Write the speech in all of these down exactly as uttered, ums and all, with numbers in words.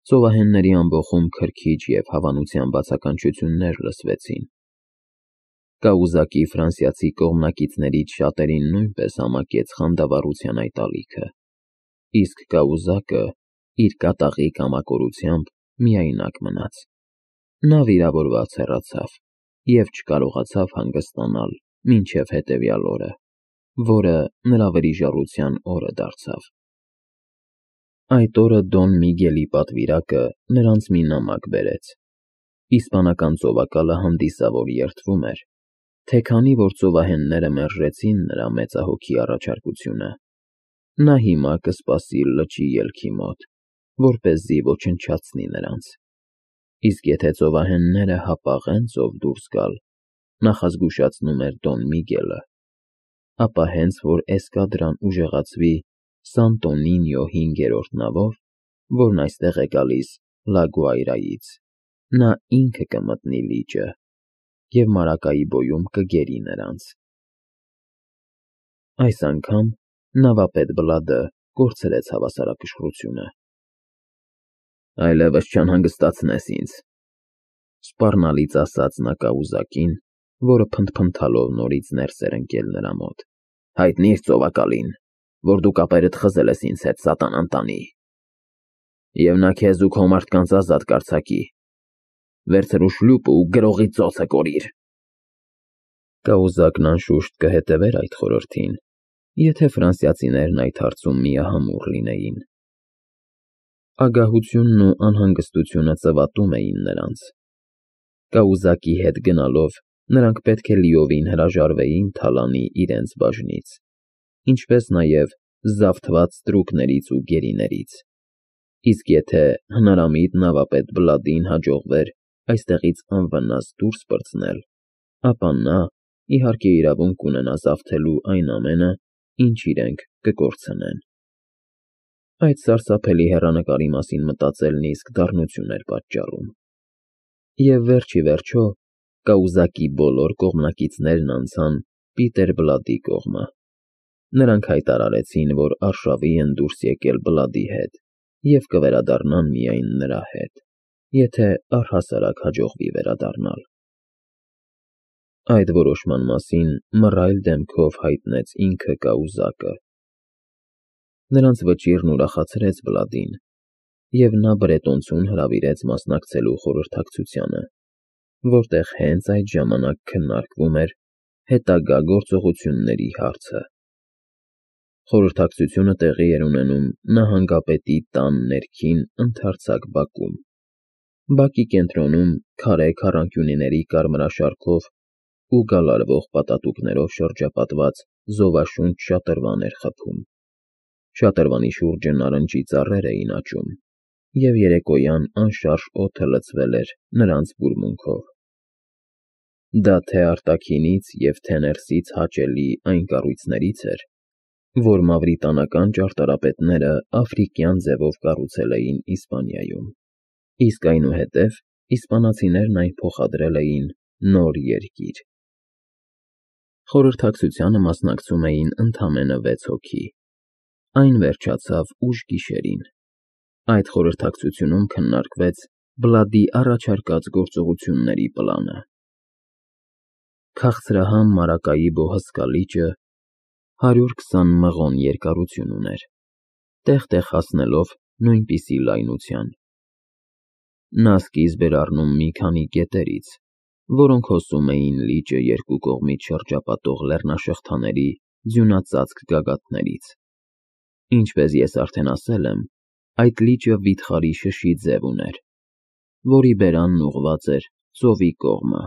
Ծովահենների ամբոխում քրքիջ և հավանության բացականչություններ լսվեցին։ Կաուզակի ֆրանսիացի կողմնակիցներից շատերին նույնպես համակեց խանդավառության այդ ալիքը, իսկ կաուզակը իր կատաղի կամակորությամբ միայնակ մնաց։ Նա վիրավորված հեռացավ և չկարողացավ հանգստանալ մինչև հետևյալ օրը, որը նրա վրիժառության օրը դարձավ։ Այդ օրը Դոն Միգելի պատվիրակը նրանց մի նամակ բերեց։ Իսպանական ծովակալը հանդիսավոր երդվում էր, թե քանի որ ծովահենները մերժեցին նրա մեծահոգի առաջարկությունը, նա հիմա կսպասի լճի ելքի մոտ, որպեսզի ոչնչացնի նրանց, իսկ եթե ծովահենները հապաղեն ծով դուրս գալ, նախազգուշացնում էր Դոն Միգելը, ապա հենց որ էսկադրան ուժեղացվի Սանտո Նինիո հինգերորդ նավով, որն այստեղ է գալիս Լա Գուայրայից, նա ինքը կմտնի լիճը և Մարակայիբոյում կգերի նրանց։ Այս անգամ նավապետ Բլադը կորցրեց հավասարակշռությունը։ «Այլևս չանհանգստացնես ինձ,֊ սպառնալից ասաց նա կաուզակին, որը փնթփնթալով նորից ներս էր ընկել նրա մոտ,֊ հայտնի՞ր ծովակալին, որ դու կապերդ խզել ես ինձ հետ սատանան տանի, և նա քեզ ու քո մարդկանց ազատ կարձակի։ Վերցրու շլուպը ու գրողի ծոցը կորիր»։ Կաուզակն անշուշտ կհետևեր այդ խորհրդին, եթե ֆրանսիացիներն այդ հարցում միահամուռ լինեին։ Ագահությունն ու անհանգստությունը ծվատում էին նրանց։ Կաուզակի հետ գնալով նրանք պետք է լիովին հրաժարվեին թալանի իրենց բաժնից, ինչպես նաև զավթված ստրուկներից ու գերիներից, իսկ եթե հնարամիտ նավապետ Բլադին հաջողվեր այստեղից անվնաս դուրս պրծնել, ապա նա, իհարկե, իրավունք կունենա զավթելու այն ամենը, ինչ իրենք կկորցնեն։ Այդ սարսափելի հեռանկարի մասին մտածելն իսկ դառնություն էր պատճառում։ Եվ վերջ ի վերջո կաուզակի բոլոր կողմնակիցներն անցան Պիտեր Բլադի կողմը։ Նրանք հայտարարեցին, որ արշավի են դուրս եկել Բլադի հետ և կվերադառնան միայն նրա հետ, եթե առհասարակ հաջողվի վերադառնալ։ Այդ որոշման մասին մռայլ դեմքով հայտնեց ինքը կաուզակը։ Նրանց վճիռն ուրախացրեց Բլադին, և նա բրետոնցուն հրավիրեց մասնակցելու խորհրդակցությանը, որտեղ հենց այդ ժամանակ քննարկվում էր հետագա գործողությունների հարցը։ Խորհրդակցությունը տեղի էր ունենում նահանգապետի տան ներքին ընդարձակ բակում։ Բակի կենտրոնում քարե քառանկյունիների կարմրաշարքով ու գալարվող պատատուկներով շրջապատված զովաշունչ շատրվան էր խփում։ Շատրվանի շուրջը նարնջի ծառեր էին աճում, և երեկոյան անշարժ օդը լցվել էր նրանց բուրմունքով։ Դա թե՛ արտաքինից և թե՛ ներսից հաճելի այն կառույցներից էր, որ մավրիտանական ճարտարապետները աֆրիկյան ձևով կառուցել էին Իսպանիայում, իսկ այնուհետև իսպանացիներն այն փոխադրել էին Նոր Երկիր։ Խորհրդակցությանը մասնակցում էին ընդամենը վեց հոգի։ Այն վերջացավ ուշ գիշերին։ Այդ խորհրդակցությունում քննարկվեց Բլադի առաջարկած գործողությունների պլանը։ Քաղցրահամ Մարակայիբո հսկա լիճը հարյուր քսան մղոն երկարություն ուներ, տեղ֊տեղ հասնելով նույնպիսի լայնության։ Նա սկիզբ էր առնում մի քանի գետերից, որոնք հոսում էին լիճը երկու կողմից շրջապատող լեռնաշղթաների ձյունածածկ գագաթներից։ Ինչպես ես արդեն ասել եմ, այդ լիճը վիթխարի շշի ձև ուներ, որի բերանն ուղղված էր ծովի կողմը,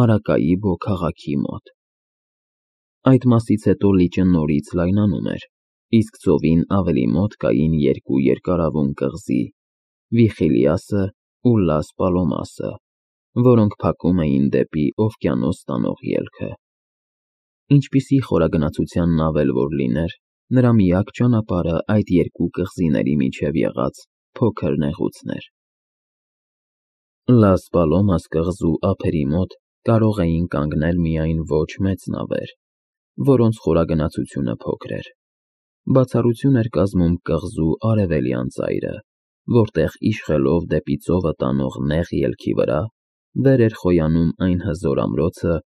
Մարակայիբո քաղաքի մոտ։ Այդ մասից հետո լիճը նորից լայնանում էր, իսկ ծովին ավելի մոտ կային երկու երկարավուն կղզի՝ Վիխիլիասը ու Լաս Պալոմասը, որոնք փակում էին դեպի օվկիանոս տանող ելքը։ Ինչպիսի խորագնացության նավ էլ որ լիներ, նրա միակ ճանապարհը այդ երկու կղզիների միջև եղած փոքր նեղուցն էր։ Լաս Պալոմաս կղզու ափերի մոտ կարող էին կանգնել միայն ոչ մեծ նավեր, որոնց խորագնացությունը փոքր էր։ Բացառություն էր կազմում կղզու արևելյան ծայրը, որտեղ իշխելով դեպի ծովը տանող նեղ ելքի վրա վեր էր խոյանում այն հզոր ամրոցը,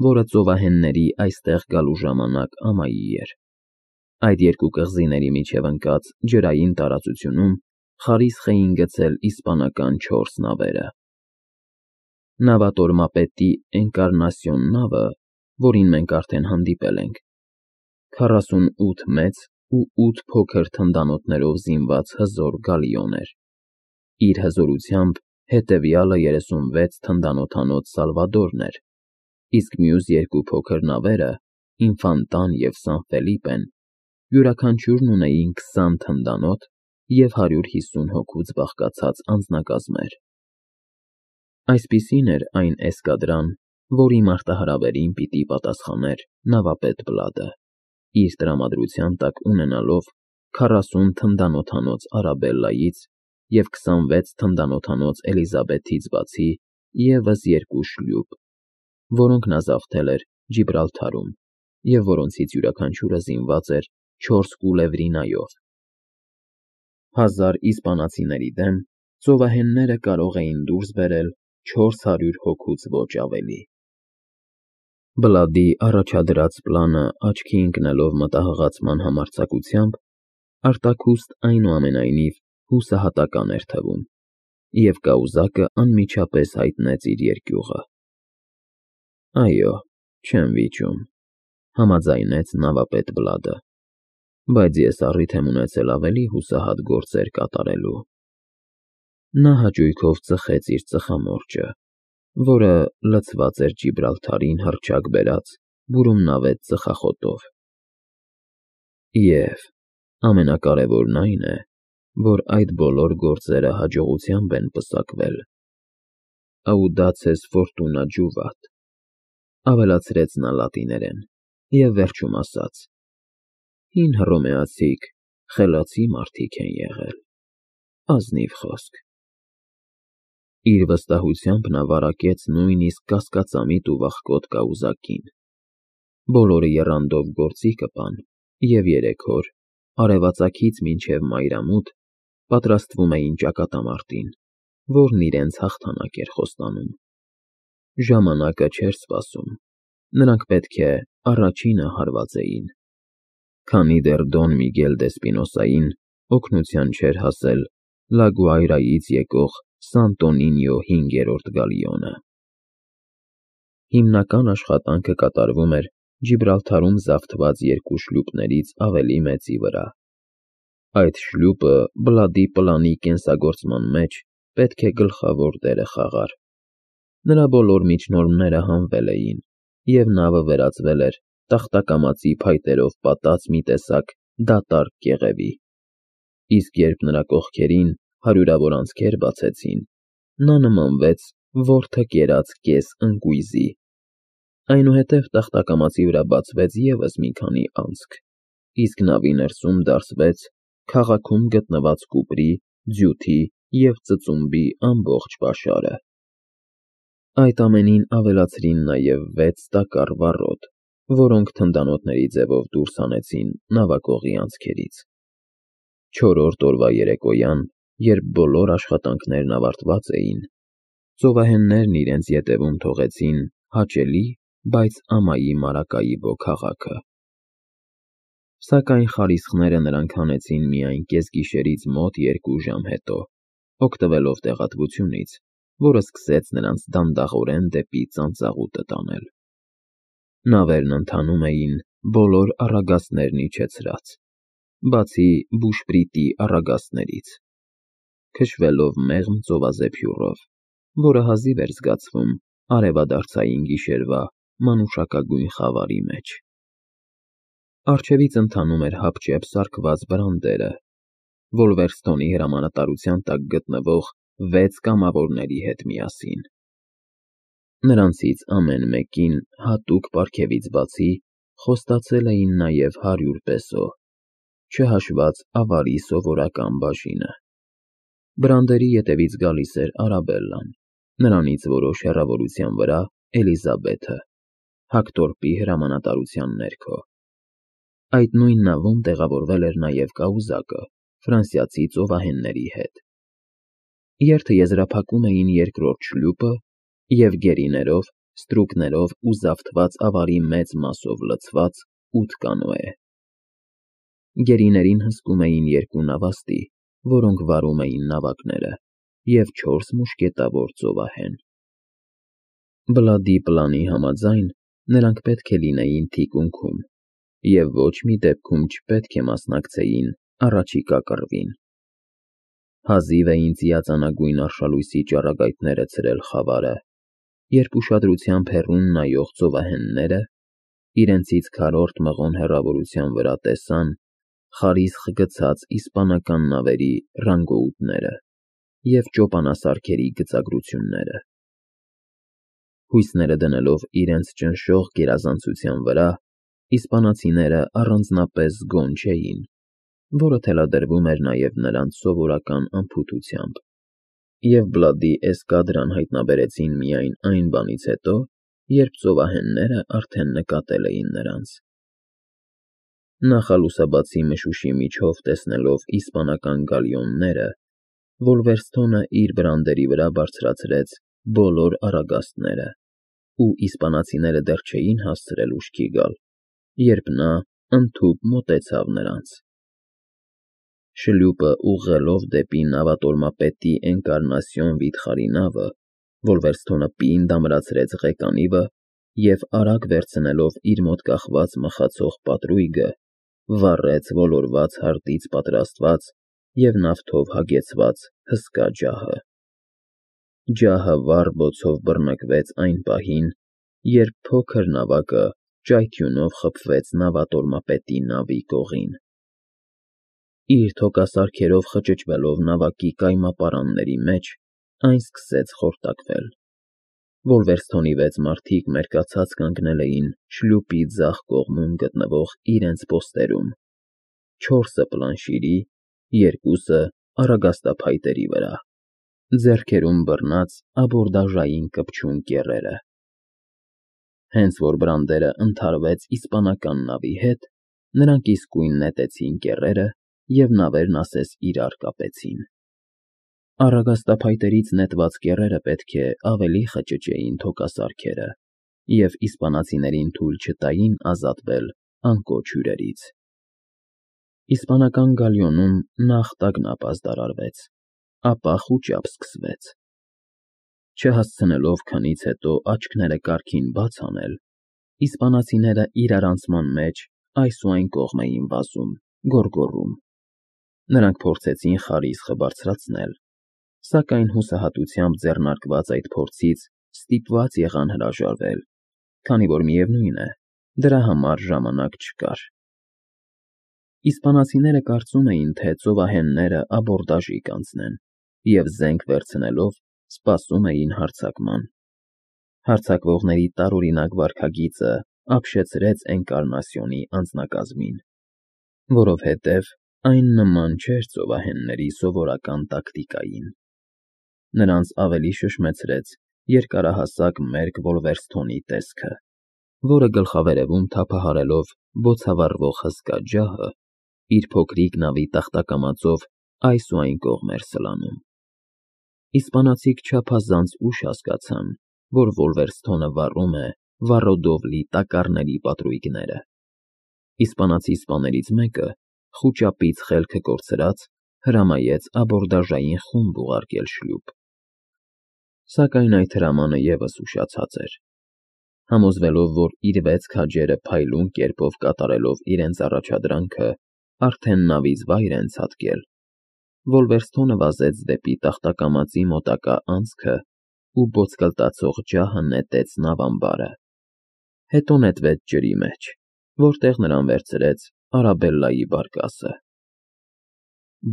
որը ծովահենների այստեղ գալու ժամանակ ամայի էր։ Այդ երկու կղզիների միջև ընկած ջրային տարածությունում խարիսխ էին գցել իսպանական չորս նավերը։ Նավատորմապետի Էնկարնասիոն նավը, որին մենք արդեն հանդիպել ենք, քառասունութ մեծ ու ութ փոքր թնդանոթներով զինված հզոր գալիոն էր։ Իր հզորությամբ հետևյալը երեսունվեց թնդանոթանոց Սալվադորն էր, իսկ մյուս երկու փոքր նավերը՝ Ինֆանտան և Սան Ֆելիպեն, յուրաքանչյուրն ունեին քսան թնդանոթ և հարյուր հիսուն հոգուց բաղկացած անձնակազմեր։ Այսպիսին էր այն էսկադրան, որի մարտահրավերին պիտի պատասխաներ նավապետ Բլադը, իր տրամադրության տակ ունենալով քառասուն թնդանոթանոց Արաբելլայից և քսանվեց թնդանոթանոց Էլիզաբեթից բացի ևս երկու շլյուպ, որոնք նա զավթել էր Ջիբրալթարում և որոնցից յուրաքանչյուրը զինված էր չորս կուլևրինայով։ Հազար իսպանացիների դեմ ծովահենները կարող էին դուրս բերել չորս հարյուր հոգուց ոչ ավելի։ Բլադի առաջադրած պլանը աչքի ընկնելով մտահղացման համարձակությամբ, արտաքուստ այնուամենայնիվ հուսահատական էր թվում, և կայուզակը անմիջապես հայտնեց իր երկյուղը։ Այո, չեմ վիճում, համաձայնեց նավապետ Բլադը, բայց ես առիթ եմ ունեցել ավելի հուսահատ գործեր կատարելու։ Նա հաճույքով ծխեց իր ծխամորճը, որը լցված էր Ջիբրալթարին հռչակ բերած բուրումնավետ ծխախոտով։ Եվ ամենակարևորն այն է, որ այդ բոլոր գործերը հաջողությամբ են պսակվել։ Audaces fortuna juvat, ավելացրեց նա լատիներեն և վերջում ասաց. Հին հռոմեացիք խելացի մարդիկ են եղել, ազնիվ խոսք։ Իր վստահությամբ նա վարակեց նույնիսկ կասկածամիտ ու վախկոտ կայուզակին։ Բոլորը եռանդով գործի կպան, և երեք օր, արևածագից մինչև մայրամուտ, պատրաստվում էին ճակատամարտին, որն իրենց հաղթանակ էր խոստանում։ Ժամանակը չէր սպասում, նրանք պետք է առաջինը հարվածեին, քանի դեռ Դոն Միգել դե Սպինոսային օգնության չէր հասել Լա Գուայրայից եկող Սանտոնինիո հինգերորդ գալիոնը։ Հիմնական աշխատանքը կատարվում էր Ջիբրալթարում զավթված երկու շլյուպներից ավելի մեծի վրա։ Այդ շլյուպը Բլադի պլանի կենսագործման մեջ պետք է գլխավոր դերը խաղար։ Նրա բոլոր միջնորդները հանվել էին, և նավը վերածվել էր տախտակամածի փայտերով պատած մի տեսակ դատարկ կեղևի, իսկ երբ նրա կողքերին հարյուրավոր անցքեր բացեցին, նա նմանվեց որդը կերած կես ընկույզի։ Այնուհետև տախտակամածի վրա բացվեց ևս մի քանի անցք, իսկ նավի ներսում դարսվեց քաղաքում գտնված կուպրի, ձյութի և ծծումբի ամբողջ պաշարը։ Այդ ամենին ավելացրին նաև վեց տակառ վառոդ, որոնք թնդանոթների ձևով դուրս հանեցին նավակողի անցքերից։ Չորրորդ օրվա երեկոյան, երբ բոլոր աշխատանքներն ավարտված էին, ծովահեններն իրենց ետևում թողեցին հաճելի, բայց ամայի Մարակայիբո քաղաքը։ Սակայն խարիսխները նրանք հանեցին միայն կեսգիշերից մոտ երկու ժամ հետո, օգտվելով տեղատվությունից, որը սկսեց նրանց դանդաղորեն դեպի ծանծաղուտը տանել։ Նավերն ընթանում էին բոլոր առագաստներն իջեցրած, բացի բուշպրիտի առագաստներից, քշվելով մեղմ ծովազեփյուռով, որը հազիվ էր զգացվում արևադարձային գիշերվա մանուշակագույն խավարի մեջ։ Առջևից ընթանում էր հապճեպ սարքված բրանդերը, Վոլվերստոնի հրամանատարության տակ գտնվող վեց կամավորների հետ միասին։ Նրանցից ամեն մեկին հատուկ պարգևից բացի խոստացել էին նաև հարյուր պեսո, չհաշված ավարի սովորական բաժինը։ Բրանդերի ետևից գալիս էր Արաբելլան, նրանից որոշ հեռավորության վրա Էլիզաբեթը, հակտորպի հրամանատարության ներքո։ Այդ նույն նավում տեղավորվել էր նաև կայուզակը ֆրանսիացի ծովահենների հետ։ Երթը եզրափակում էին երկրորդ շլուպը և գերիներով, ստրուկներով ու զավթված ավարի մեծ մասով լցված ութ կանոե։ Գերիներին հսկում էին երկու նավաստի, որոնք վարում էին նավակները, և չորս մուշկետավոր ծովահեն։ Բլադի պլանի համաձայն նրանք պետք է լինեին թիկունքում և ոչ մի դեպքում չպետք է մասնակցեին առաջիկա կռվին։ Հազիվ էին ծիածանագույն արշալույսի ճառագայթները ցրել խավարը, երբ ուշադրությամբ հեռուն նայող ծովահենները իրենցից քառորդ մղոն հեռավորության վրա տեսան խարիսխ գցած իսպանական նավերի ռանգոուտները և ճոպանասարքերի գծագրությունները։ Հույսները դնելով իրենց ճնշող գերազանցության վրա, իսպանացիները առանձնապես զգոն չէին, որը թելադրվում էր նաև նրանց սովորական անփութությամբ, և Բլադի էսկադրան հայտնաբերեցին միայն այն բանից հետո, երբ ծովահենները արդեն նկատել էին նրանց։ Նախալուսաբացի մշուշի միջով տեսնելով իսպանական գալիոնները, Վոլվերստոնը իր բրանդերի վրա բարձրացրեց բոլոր առագաստները, ու իսպանացիները դեռ չէին հասցրել ուշքի գալ, երբ նա ընդհուպ մոտեցավ նրանց։ Շլուպը ուղղելով դեպի նավատորմապետի Էնկարնասիոն վիթխարի նավը, Վոլվերստոնը պինդ ամրացրեց ղեկանիվը և, արագ վերցնելով իր մոտ կախված մխացող պատրույգը, վառեց ոլորված հարտից պատրաստված և նավթով հագեցված հսկա ջահը։ Ջահը վառ բոցով բռնկվեց այն պահին, երբ փոքր նավակը ճայթյունով խփվեց նավատորմապետի նավի կողին։ Իր թոկասարքերով խճճվելով նավակի կայմապարանների մեջ, այն սկսեց խորտակվել։ Վոլվերստոնի վեց մարդիկ մերկացած կանգնել էին շլուպի ձախ կողմում գտնվող իրենց պոստերում, չորսը պլանշիրի, երկուսը առագաստափայտերի վրա, ձեռքերում բռնած աբորդաժային կպչուն կեռերը։ Հենց որ բրանդերը ընդհարվեց իսպանական նավի հետ, նրանք իսկույն նետեցին կեռերը և նավերն ասես իրար կապեցին։ Առագաստափայտերից նետված կեռերը պետք է ավելի խճճեին թոկասարքերը և իսպանացիներին թույլ չտային ազատվել անկոչ հյուրերից։ Իսպանական գալիոնում նախ տագնապ ազդարարվեց, ապա խուճապ սկսվեց։ Չհասցնելով քնից հետո աչքները կարգին բաց անել, իսպանացիները իրարանցման մեջ այս ու այն կողմ էին վազում, գոռգոռում։ Նրանք փորձեցին խարիսխը բարձրացնել, սակայն հուսահատությամբ ձեռնարկված այդ փորձից ստիպված եղան հրաժարվել, քանի որ միևնույն է, դրա համար ժամանակ չկար։ Իսպանացիները կարծում էին, թե ծովահենները աբորդաժի կանցնեն և զենք վերցնելով սպասում էին հարձակման։ Հարձակվողների տարօրինակ վարքագիծը ապշեցրեց Էնկարնասիոնի անձնակազմին, որովհետև այն նման չէր ծովահենների սովորական տակտիկային։ Նրանց ավելի շշմեցրեց երկարահասակ մերկ Վոլվերստոնի տեսքը, որը գլխավերևում թափահարելով բոցավառվող հսկա ջահը, իր փոքրիկ նավի տախտակամածով այս ու այն կողմ էր սլանում։ Իսպանացիք չափազանց ուշ հասկացան, որ Վոլվերստոնը վառում է վառոդով լի տակառների պատրույգները։ Իսպանացի սպաներից մեկը, խուճապից խելքը կորցրած, հրամայեց աբորդաժային խումբ ուղարկել շլուպ։ Սակայն այդ հրամանը ևս ուշացած էր։ Համոզվելով, որ իր վեց քաջերը փայլուն կերպով կատարելով իրենց առաջադրանքը արդեն նավից վայր են ցատկել, Վոլվերստոնը վազեց դեպի տախտակամածի մոտակա անցքը ու ոսկլտացող ջահը նետեց նավամբարը, հետո նետվեց ջրի մեջ, որտեղ նրան վերցրեց Արաբելլայի բարկասը։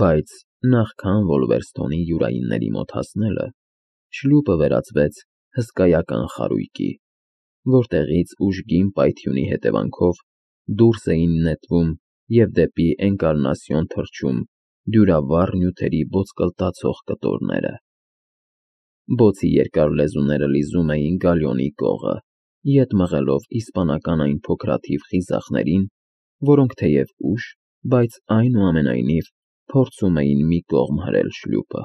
Բայց նախքան Վոլվերստոնի յուրայինների մոտ հասնելը, շլուպը վերածվեց հսկայական խարույկի, որտեղից ուժգին պայթյունի հետևանքով դուրս էին նետվում և դեպի Էնկարնասիոն թռչում դյուրավառ նյութերի ոսկլտացող կտորները։ Բոցի երկար լեզուները լիզում էին գալիոնի կողը, ետ մղելով իսպանական այն փոքրաթիվ խիզախներին, որոնք թեև ուշ, բայց այնուամենայնիվ փորձում էին մի կողմ հրել շլուպը։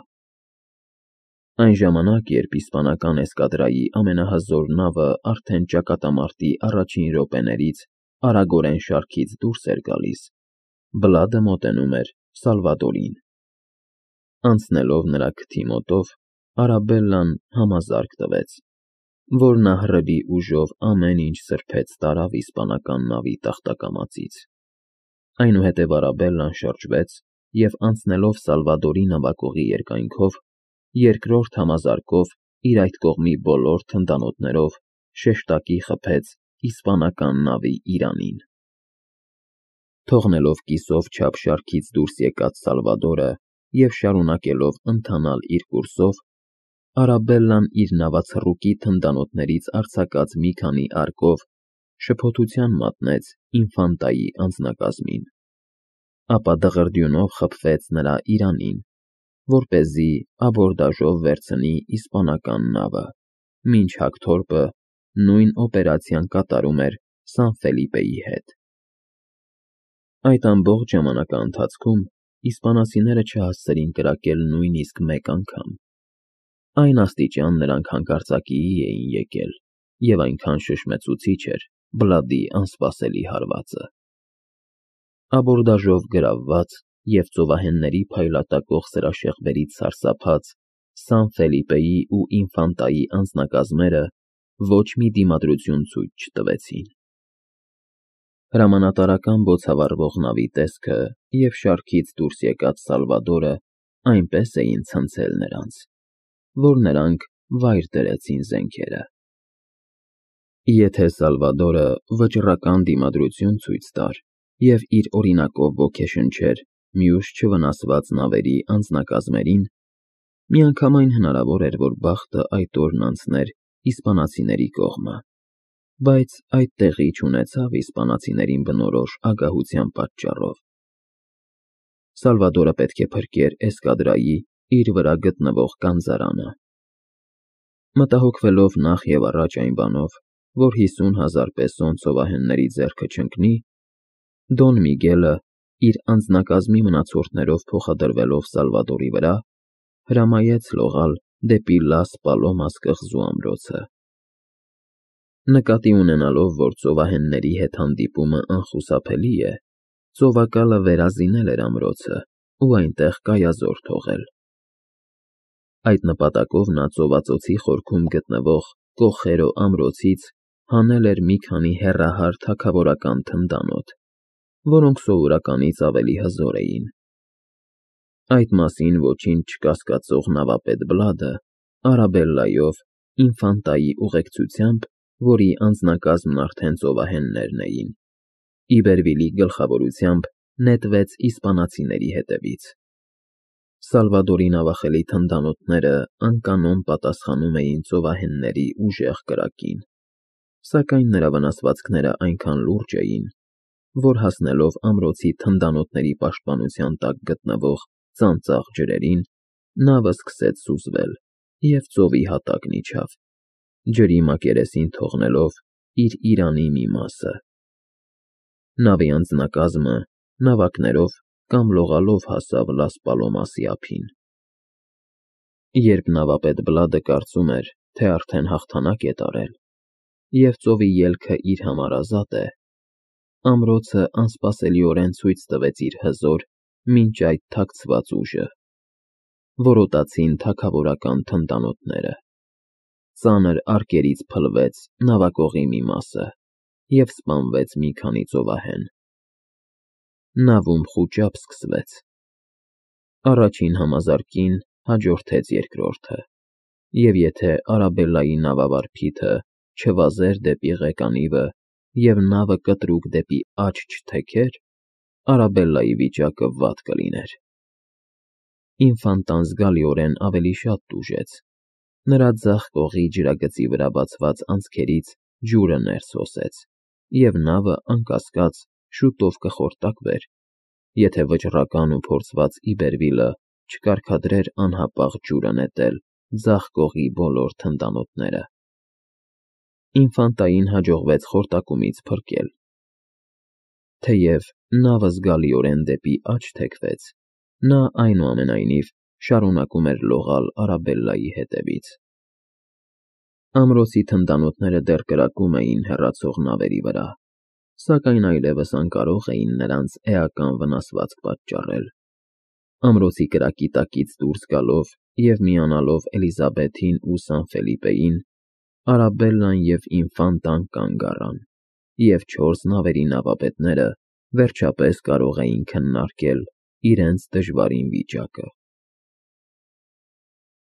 Այն ժամանակ, երբ իսպանական էսկադրայի ամենահզոր նավը արդեն ճակատամարտի առաջին րոպեներից արագորեն շարքից դուրս էր գալիս, Բլադը մոտենում էր Սալվադորին։ Անցնելով նրա քթի մոտով, Արաբելլան համազարկ տվեց, որ նա հռետի ուժով ամեն ինչ սրբեց տարավ իսպանական նավի տախտակամածից։ Այնուհետև Արաբելլան շրջվեց և, անցնելով Սալվադորի նավակողի երկայնքով, երկրորդ համազարկով իր այդ կողմի բոլոր թնդանոթներով շեշտակի խփեց իսպանական նավի իրանին։ Թողնելով կիսով չափ շարքից դուրս եկած Սալվադորը և շարունակելով ընթանալ իր կուրսով, Արաբելլան իր նավացռուկի թնդանոթներից արձակած մի քանիարկով շփոթության մատնեց ինֆանտայի անձնակազմին, ապա դղրդյունով խփվեց նրա իրանին, որպեսզի աբորդաժով վերցնի իսպանական նավը, մինչ հակթորպը նույն օպերացիան կատարում էր Սան֊Ֆելիպեի հետ։ Այդ ամբողջ ժամանակաընթացքում իսպանացիները չհասցրին կրակել նույնիսկ մեկ անգամ։ Այն աստիճան նրանք հանկարծակիի էին եկել, և այնքան շշմեցուցիչ էր Բլադի անսպասելի հարվածը։ Աբորդաժով գրավված և ծովահենների փայլատակող սրաշեղբերից սարսափած Սան֊Ֆելիպեի ու ինֆանտայի անձնակազմերը ոչ մի դիմադրություն ցույց չտվեցին։ Հրամանատարական բոցավառվող նավի տեսքը և շարքից դուրս եկած Սալվադորը այնպես էին ցնցել նրանց, որ նրանք վայր դրեցին զենքերը։ Եթե Սալվադորը վճռական դիմադրություն ցույց տար և իր օրինակով ոգեշնչեր մյուս չվնասված նավերի անձնակազմերին, միանգամայն հնարավոր էր, որ բախտը այդ օրն անցներ իսպանացիների կողմը, բայց այդ տեղի չունեցավ իսպանացիներին բնորոշ ագահության պատճառով։ Սալվադորը պետք է փրկեր էսկադրայի իր վրա գտնվող գանձարանը։ Մտահոգվելով նախ և առաջ այն բանով, որ հիսուն հազար պեսոն ծովահենների ձեռքը չընկնի, Դոն Միգելը, իր անձնակազմի մնացորդներով փոխադրվելով Սալվադորի վրա, հրամայեց լողալ դեպի Լաս Պալոմաս կղզու ամրոցը։ Նկատի ունենալով, որ ծովահենների հետ հանդիպումը անխուսափելի է, ծովակալը վերազինել էր ամրոցը ու այնտեղ կայազոր թողել։ Այդ նպատակով նա ծովածոցի խորքում գտնվող Կոխերո ամրոցից հանել էր մի քանի հեռահար թագավորական թնդանոթ, որոնք սովորականից ավելի հզոր էին։ Այդ մասին ոչինչ չկասկածող նավապետ Բլադը Արաբելլայով, ինֆանտայի ուղեկցությամբ, որի անձնակազմն արդեն ծովահեններն էին, Իբերվիլի գլխավորությամբ նետվեց իսպանացիների հետևից։ Սալվադորի նավախելի թնդանոթները անկանոն պատասխանում էին ծովահենների ուժեղ կրակին, սակայն նրա վնասվածքները այնքան լուրջ էին, որ հասնելով ամրոցի թնդանոթների պաշտպանության տակ գտնվող ծանծաղ ջրերին, նավը սկսեց սուզվել և ծովի հատակն իջավ, ջրի մակերեսին թողնելով իր իրանի մի մասը։ Նավի անձնակազմը նավակներով կամ լողալով հասավ Լաս Պալոմասի ափին։ Երբ նավապետ Բլադը կարծում էր, թե արդեն հաղթանակ է տարել, և ծովի ելքը իր համար ազատ է, ամրոցը անսպասելիորեն ցույց տվեց իր հզոր, մինչ այդ թաքցված ուժը։ Որոտացին թագավորական թնդանոթները։ Ծանր արկերից փլվեց նավակողի մի մասը և սպանվեց մի քանի ծովահեն։ Նավում խուճապ սկսվեց։ Առաջին համազարկին հաջորդեց երկրորդը, և եթե Արաբելլայի նավավար փիթը չվազեր դեպի ղեկանիվը և նավը կտրուկ դեպի աջ չթեքեր, Արաբելլայի վիճակը վատ կլիներ։ Ինֆանտան զգալիորեն ավելի շատ տուժեց, նրա ձախ կողի ջրագծի վրա բացված անցքերից ջուրը ներս հոսեց, և նավը, անկասկած, շուտով կխորտակվեր, եթե վճռական ու փորձված Իբերվիլը չկարգադրեր անհապաղ ջուրը նետել ձախ կողի բոլոր թնդանոթները։ Ինֆանտային հաջողվեց խորտակումից փրկել։ Թեև նավը զգալիորեն դեպի աջ թեքվեց, նա, այնուամենայնիվ, շարունակում էր լողալ Արաբելլայի հետևից։ Ամրոցի թնդանոթները դեռ կրակում էին հեռացող նավերի վրա, սակայն այլևս անկարող էին նրանց էական վնասվածք պատճառել։ Ամրոցի կրակի տակից դուրս գալով և միանալով Էլիզաբեթին ու Սան Ֆելիպեին, Արաբելլան և Ինֆանտան կանգ առան, և չորս նավերի նավապետները վերջապես կարող էին քննարկել իրենց դժվարին վիճակը։